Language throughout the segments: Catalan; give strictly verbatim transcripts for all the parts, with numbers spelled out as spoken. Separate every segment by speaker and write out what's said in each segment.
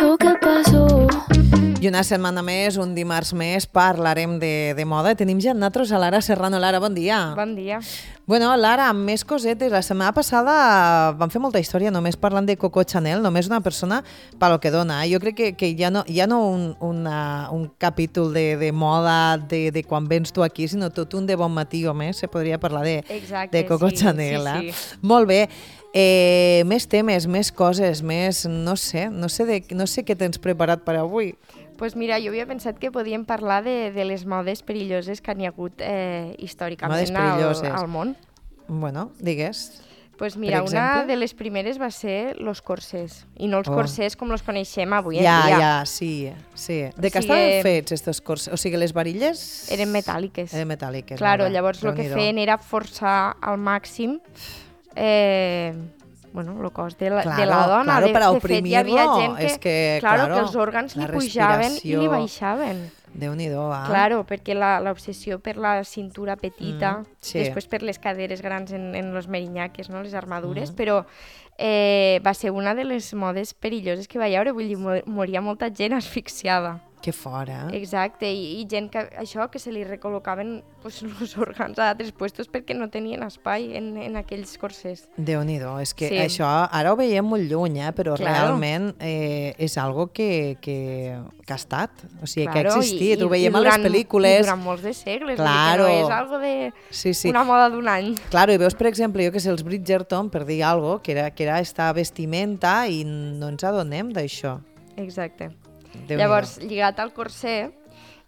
Speaker 1: Lo que pasó.
Speaker 2: I una setmana més, un dimarts més, parlarem de, de moda. Tenim ja nosaltres a Lara Serrano. Lara, bon dia.
Speaker 3: Bon dia.
Speaker 2: Bueno, Lara, amb més cosetes. La setmana passada vam fer molta història només parlant de Coco Chanel, només una persona pel que dona. Jo crec que, que ja no, ja no un, una, un capítol de, de moda de, de quan vens tu aquí, sinó tot un de bon matí o més, se podria parlar de,
Speaker 3: Exacte,
Speaker 2: de Coco
Speaker 3: sí,
Speaker 2: Chanel.
Speaker 3: sí,
Speaker 2: Eh?
Speaker 3: sí.
Speaker 2: Molt bé. Eh, més temes, més coses, més... No sé, no sé, de, no sé què tens preparat per avui.
Speaker 3: Pues mira, jo havia pensat que podíem parlar de, de les modes perilloses que n'hi ha hagut eh, històricament
Speaker 2: Modes
Speaker 3: al,
Speaker 2: perilloses.
Speaker 3: al món.
Speaker 2: Bueno, digues.
Speaker 3: Pues mira,
Speaker 2: Per
Speaker 3: una
Speaker 2: exemple?
Speaker 3: de les primeres va ser los corsés, i no els
Speaker 2: Oh.
Speaker 3: corsés com els coneixem avui
Speaker 2: Ja,
Speaker 3: en dia.
Speaker 2: ja, sí, sí. De què
Speaker 3: O sigui,
Speaker 2: estaven fets estos corsés? O sigui, les varilles...
Speaker 3: Eren metàl·liques.
Speaker 2: Eren metàl·liques.
Speaker 3: Claro,
Speaker 2: molt bé.
Speaker 3: llavors el que
Speaker 2: Déu-n'hi-do.
Speaker 3: feien era forçar al màxim eh, bueno, el cos de la,
Speaker 2: Claro,
Speaker 3: de la dona.
Speaker 2: claro,
Speaker 3: de,
Speaker 2: para
Speaker 3: de fet, hi havia
Speaker 2: oprimirlo,
Speaker 3: gent que,
Speaker 2: és que,
Speaker 3: claro,
Speaker 2: claro,
Speaker 3: que els òrgans
Speaker 2: la
Speaker 3: li pujaven i
Speaker 2: respiració.
Speaker 3: li baixaven.
Speaker 2: Déu-n'hi-do, ah.
Speaker 3: Claro, perquè la- l'obsessió per la cintura petita,
Speaker 2: Mm, sí.
Speaker 3: després per les caderes grans en, en los merinyaques, no? Les armadures,
Speaker 2: Mm.
Speaker 3: però eh, va ser una de les modes perilloses que va hi haure, vull dir, mo- moria molta gent asfixiada.
Speaker 2: Que fora.
Speaker 3: Exacte, i, i gent que això, que se li recol·locaven pues, els òrgans a altres puestos perquè no tenien espai en, en aquells corsers.
Speaker 2: Déu-n'hi-do, és que
Speaker 3: Sí.
Speaker 2: això ara ho veiem molt lluny, eh? Però
Speaker 3: Claro.
Speaker 2: realment eh, és algo que, que, que ha estat, o sigui, que ha
Speaker 3: Claro,
Speaker 2: existit,
Speaker 3: i-
Speaker 2: ho veiem
Speaker 3: i
Speaker 2: a les
Speaker 3: durant-
Speaker 2: pel·lícules.
Speaker 3: I durant molts de segles,
Speaker 2: Claro.
Speaker 3: vull dir que no és algo de
Speaker 2: Sí, sí.
Speaker 3: una moda d'un any.
Speaker 2: Claro, i veus, per exemple, jo que sé, els Bridgerton, per dir alguna cosa, que era, que era esta vestimenta i no ens adonem d'això.
Speaker 3: Exacte.
Speaker 2: Déu-n'hi-do.
Speaker 3: Llavors, lligat al corser,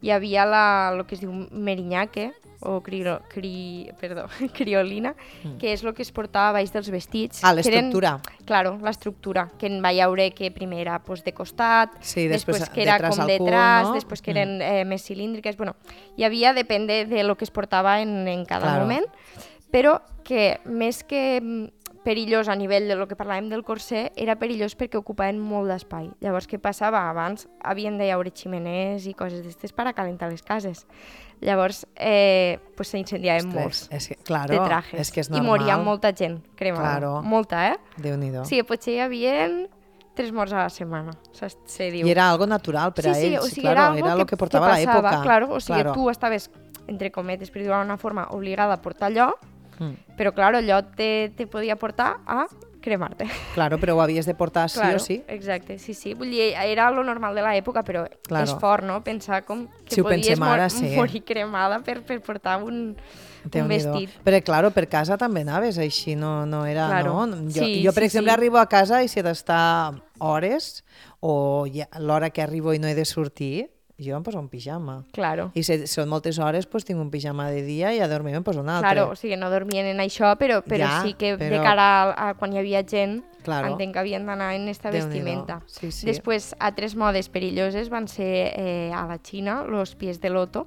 Speaker 3: hi havia la, el que es diu merinyaque, o crio, cri, perdó, criolina,
Speaker 2: Mm.
Speaker 3: que és el que es portava a baix dels vestits.
Speaker 2: Ah,
Speaker 3: que eren-
Speaker 2: l'estructura.
Speaker 3: Claro, l'estructura, que en va haure que primer era pues, de costat,
Speaker 2: Sí,
Speaker 3: després,
Speaker 2: després
Speaker 3: que era
Speaker 2: detrás
Speaker 3: com
Speaker 2: al cul,
Speaker 3: detrás,
Speaker 2: no?
Speaker 3: després que
Speaker 2: Mm.
Speaker 3: eren eh, més cilíndriques, bueno, hi havia, depèn de, de lo que es portava en, en cada
Speaker 2: Claro.
Speaker 3: moment, però que més que mm, perillós a nivell de lo que parlàvem del corser, era perillós perquè ocupaven molt d'espai. Llavors, què passava? Abans havien de haure ximeners i coses d'estes per a calentar les cases. Llavors, eh, pues s'incendiaven molts
Speaker 2: És que, claro,
Speaker 3: de trajes.
Speaker 2: és que és
Speaker 3: I
Speaker 2: normal.
Speaker 3: moria molta gent cremada.
Speaker 2: Claro.
Speaker 3: Molta, eh?
Speaker 2: Déu-n'hi-do.
Speaker 3: O sigui, potser hi havia tres morts a la setmana, se, se diu.
Speaker 2: I era algo natural per
Speaker 3: sí,
Speaker 2: a
Speaker 3: sí,
Speaker 2: ells,
Speaker 3: o sigui,
Speaker 2: claro,
Speaker 3: era, algo
Speaker 2: era
Speaker 3: que,
Speaker 2: el que portava
Speaker 3: que passava,
Speaker 2: l'època.
Speaker 3: Claro, o sigui,
Speaker 2: Claro.
Speaker 3: tu estaves, entre cometes, per dir-ho d'una forma, obligada a portar allò,
Speaker 2: Mm.
Speaker 3: però, claro, allò te, te podia portar a cremar-te.
Speaker 2: Claro, però ho havies de portar sí
Speaker 3: claro,
Speaker 2: o sí.
Speaker 3: Exacte, sí, sí. Vull dir, era lo normal de l'època, però
Speaker 2: Claro.
Speaker 3: és fort, no?, pensar com que
Speaker 2: Si ho
Speaker 3: podies
Speaker 2: pensem
Speaker 3: mor
Speaker 2: ara, sí.
Speaker 3: morir cremada per, per portar un, un
Speaker 2: Déu-n'hi-do.
Speaker 3: vestit.
Speaker 2: Però, claro, per casa també anaves així, no, no era...
Speaker 3: Claro.
Speaker 2: No? Jo,
Speaker 3: Sí,
Speaker 2: jo, per
Speaker 3: sí,
Speaker 2: exemple,
Speaker 3: sí.
Speaker 2: arribo a casa i si he d'estar hores o ja, l'hora que arribo i no he de sortir, jo em poso un pijama.
Speaker 3: Claro.
Speaker 2: I si són moltes hores, doncs tinc un pijama de dia i a dormir em poso un altre.
Speaker 3: Claro, o sigui, no dormien en això, però, però
Speaker 2: Ja,
Speaker 3: sí que
Speaker 2: però-
Speaker 3: de cara a, a quan hi havia gent,
Speaker 2: Claro.
Speaker 3: entenc que havien d'anar en esta
Speaker 2: Déu-n'hi-do.
Speaker 3: vestimenta.
Speaker 2: Sí, sí.
Speaker 3: Després, altres modes perilloses van ser eh, a la Xina, los pies de loto.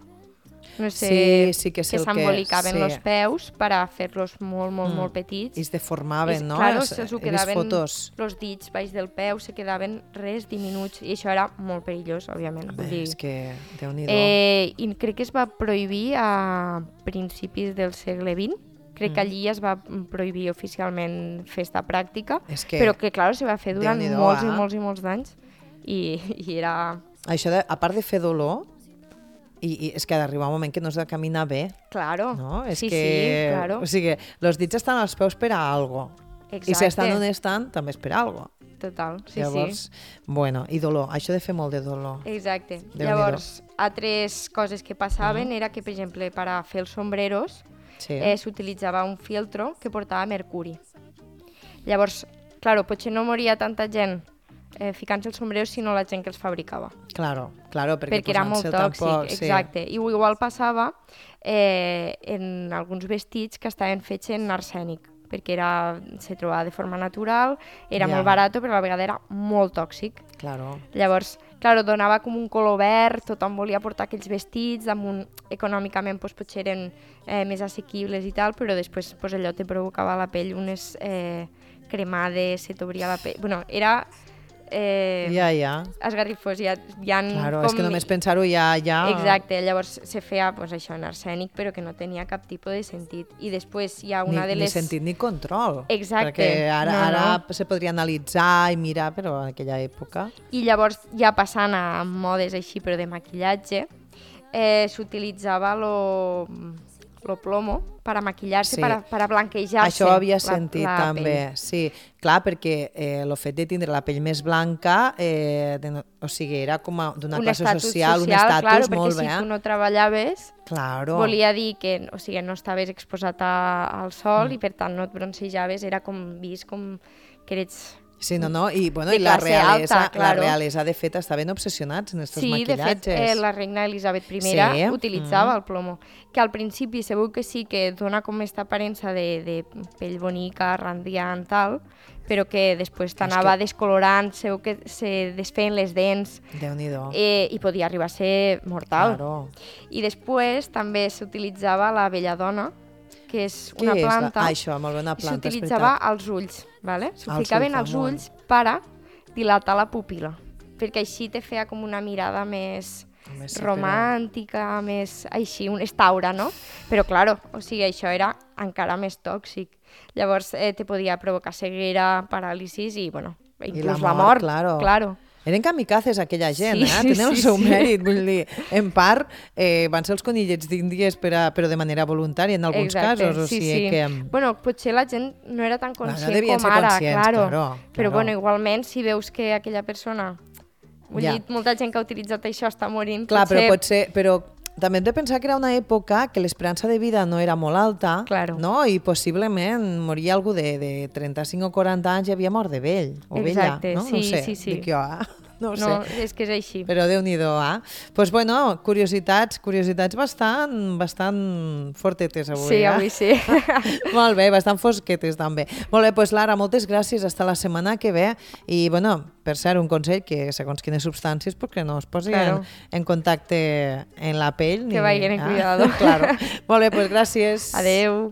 Speaker 3: No sé,
Speaker 2: Sí, sí que és
Speaker 3: que
Speaker 2: el que-
Speaker 3: s'embolicaven
Speaker 2: sí.
Speaker 3: los peus per a fer-los molt, molt,
Speaker 2: Mm.
Speaker 3: molt petits.
Speaker 2: I es deformaven,
Speaker 3: És-
Speaker 2: no?
Speaker 3: Claro,
Speaker 2: Es-
Speaker 3: se s'ho
Speaker 2: he vist
Speaker 3: quedaven,
Speaker 2: fotos.
Speaker 3: los dits baix del peu se quedaven res diminuts i això era molt perillós, òbviament. Vull
Speaker 2: Bé,
Speaker 3: dir,
Speaker 2: és que, Déu-n'hi-do.
Speaker 3: Eh, I crec que es va prohibir a principis del segle vint. Crec que
Speaker 2: Mm.
Speaker 3: allí es va prohibir oficialment fer esta pràctica,
Speaker 2: És que
Speaker 3: però que, clar, se va fer durant
Speaker 2: Déu-n'hi-do,
Speaker 3: molts i
Speaker 2: ah.
Speaker 3: molts i molts d'anys i, i era...
Speaker 2: això, de, a part de fer dolor, i, i és que ha d'arribar un moment que no has de caminar bé,
Speaker 3: Claro,
Speaker 2: no? És
Speaker 3: sí,
Speaker 2: que,
Speaker 3: sí, claro,
Speaker 2: O sigui, els dits estan als peus per a algo.
Speaker 3: exacte,
Speaker 2: I si estan on estan, també és per a algo.
Speaker 3: total, sí,
Speaker 2: Llavors, bueno, i dolor, això de fer molt de dolor.
Speaker 3: sí. Exacte.
Speaker 2: Déu-n'hi-do.
Speaker 3: Llavors, altres coses que passaven era que, per exemple, per a fer els sombreros
Speaker 2: Sí.
Speaker 3: eh, s'utilitzava un filtro que portava mercuri. Llavors, claro, potser no moria tanta gent eh, ficant-se els sombreros, sinó la gent que els fabricava.
Speaker 2: Claro, claro, perquè,
Speaker 3: Perquè era molt
Speaker 2: posant-se'l
Speaker 3: tòxic,
Speaker 2: tampoc,
Speaker 3: exacte. I igual passava eh, en alguns vestits que estaven fets en arsènic, perquè era, se trobava de forma natural, era
Speaker 2: Ja.
Speaker 3: molt barat, però a la vegada era molt tòxic.
Speaker 2: Sí, claro.
Speaker 3: Llavors, claro, donava com un color verd, tothom volia portar aquells vestits, damunt, econòmicament pues, potser eren eh, més assequibles i tal, però després pues, allò te provocava a la pell unes eh, cremades, se t'obria la pell... Bueno, era eh,
Speaker 2: Ja, ja.
Speaker 3: esgarrifós, hi ha, hi ha
Speaker 2: Claro,
Speaker 3: com...
Speaker 2: és que només pensar-ho ja... ja...
Speaker 3: Exacte, llavors se feia pues, això en arsènic, però que no tenia cap tipus de sentit. I després hi ha una
Speaker 2: ni,
Speaker 3: de les...
Speaker 2: Ni sentit ni control.
Speaker 3: Exacte.
Speaker 2: Perquè ara,
Speaker 3: No,
Speaker 2: ara
Speaker 3: no.
Speaker 2: se podria analitzar i mirar, però en aquella època...
Speaker 3: I llavors, ja passant a modes així, però de maquillatge, eh, s'utilitzava lo, lo plomo per a maquillar-se,
Speaker 2: Sí.
Speaker 3: per, a, per a blanquejar-se.
Speaker 2: Això ho havia
Speaker 3: la-
Speaker 2: sentit
Speaker 3: la
Speaker 2: també,
Speaker 3: pell.
Speaker 2: sí. Clar, perquè eh, el fet de tindre la pell més blanca, eh, de, no- o sigui, era com a- d'una
Speaker 3: Un
Speaker 2: classe
Speaker 3: estatus
Speaker 2: social, un
Speaker 3: social,
Speaker 2: estatus
Speaker 3: claro,
Speaker 2: molt
Speaker 3: perquè
Speaker 2: bé.
Speaker 3: si tu no treballaves,
Speaker 2: Claro.
Speaker 3: volia dir que o sigui, no estaves exposat a, al sol
Speaker 2: Mm.
Speaker 3: i per tant no et broncejaves, era com vist com que eres...
Speaker 2: Sí, no, no, i, bueno,
Speaker 3: de
Speaker 2: i la
Speaker 3: classe
Speaker 2: realesa,
Speaker 3: alta, claro.
Speaker 2: la realesa, de fet, estaven obsessionats en estos
Speaker 3: Sí, de
Speaker 2: maquillatges.
Speaker 3: fet, eh, la reina Elisabet primera
Speaker 2: Sí,
Speaker 3: utilitzava
Speaker 2: mm.
Speaker 3: el plomo, que al principi segur que sí que dona com aquesta aparença de, de pell bonica, radiant, tal, però que després t'anava
Speaker 2: que-
Speaker 3: descolorant, segur que se desfeien les dents
Speaker 2: Déu-n'hi-do.
Speaker 3: eh, i podia arribar a ser mortal.
Speaker 2: Claro.
Speaker 3: I després també s'utilitzava la belladona, que és
Speaker 2: Què
Speaker 3: una
Speaker 2: és?
Speaker 3: planta,
Speaker 2: Ah, això, molt bé, una planta, és
Speaker 3: s'utilitzava
Speaker 2: veritat.
Speaker 3: als ulls, ¿vale? S'ho
Speaker 2: Als
Speaker 3: ficaven
Speaker 2: ulls,
Speaker 3: als
Speaker 2: amunt.
Speaker 3: ulls per a dilatar la pupil·la, perquè així te feia com una mirada més
Speaker 2: Home, sí,
Speaker 3: romàntica, més així, un estaura, no? Però, claro, o sigui, això era encara més tòxic. Llavors, eh, te podia provocar ceguera, paràlisis i, bueno, inclús
Speaker 2: la
Speaker 3: la
Speaker 2: mort,
Speaker 3: mort.
Speaker 2: claro.
Speaker 3: claro.
Speaker 2: Eren kamikazes aquella gent,
Speaker 3: Sí,
Speaker 2: eh?
Speaker 3: sí,
Speaker 2: Tenen el
Speaker 3: sí,
Speaker 2: seu
Speaker 3: sí.
Speaker 2: mèrit, vull dir, en part eh, van ser els conillets d'Índies per a, però de manera voluntària en alguns
Speaker 3: Exacte,
Speaker 2: casos, o
Speaker 3: sí,
Speaker 2: sigui
Speaker 3: sí.
Speaker 2: que...
Speaker 3: Bueno, potser la gent no era tan
Speaker 2: Bueno,
Speaker 3: conscient
Speaker 2: devien
Speaker 3: com
Speaker 2: ser
Speaker 3: ara,
Speaker 2: conscients,
Speaker 3: claro.
Speaker 2: claro,
Speaker 3: Però
Speaker 2: claro.
Speaker 3: bueno, igualment, si veus que aquella persona... Vull
Speaker 2: Ja.
Speaker 3: dir, molta gent que ha utilitzat això està morint.
Speaker 2: Clar,
Speaker 3: potser...
Speaker 2: però potser... Però també hem de pensar que era una època que l'esperança de vida no era molt alta,
Speaker 3: Claro.
Speaker 2: no? I possiblement moria algú de, de trenta-cinc o quaranta anys i havia mort de vell o
Speaker 3: Exacte,
Speaker 2: vella, no?
Speaker 3: sí,
Speaker 2: no ho sé,
Speaker 3: sí, sí.
Speaker 2: dic jo, ah? No ho
Speaker 3: No,
Speaker 2: sé.
Speaker 3: és que és així.
Speaker 2: Però Déu-n'hi-do, ah? Doncs, pues, bueno, curiositats, curiositats bastant, bastant fortetes avui,
Speaker 3: Sí,
Speaker 2: eh?
Speaker 3: avui sí.
Speaker 2: Molt bé, bastant fosquetes també. Molt bé, doncs Lara, moltes gràcies, hasta la setmana que ve. I, bueno, per cert, un consell que segons quines substàncies, perquè no es posin
Speaker 3: Claro.
Speaker 2: en, en contacte en la pell.
Speaker 3: Que vagin en cuidado.
Speaker 2: claro. Molt bé, doncs gràcies.
Speaker 3: Adeu.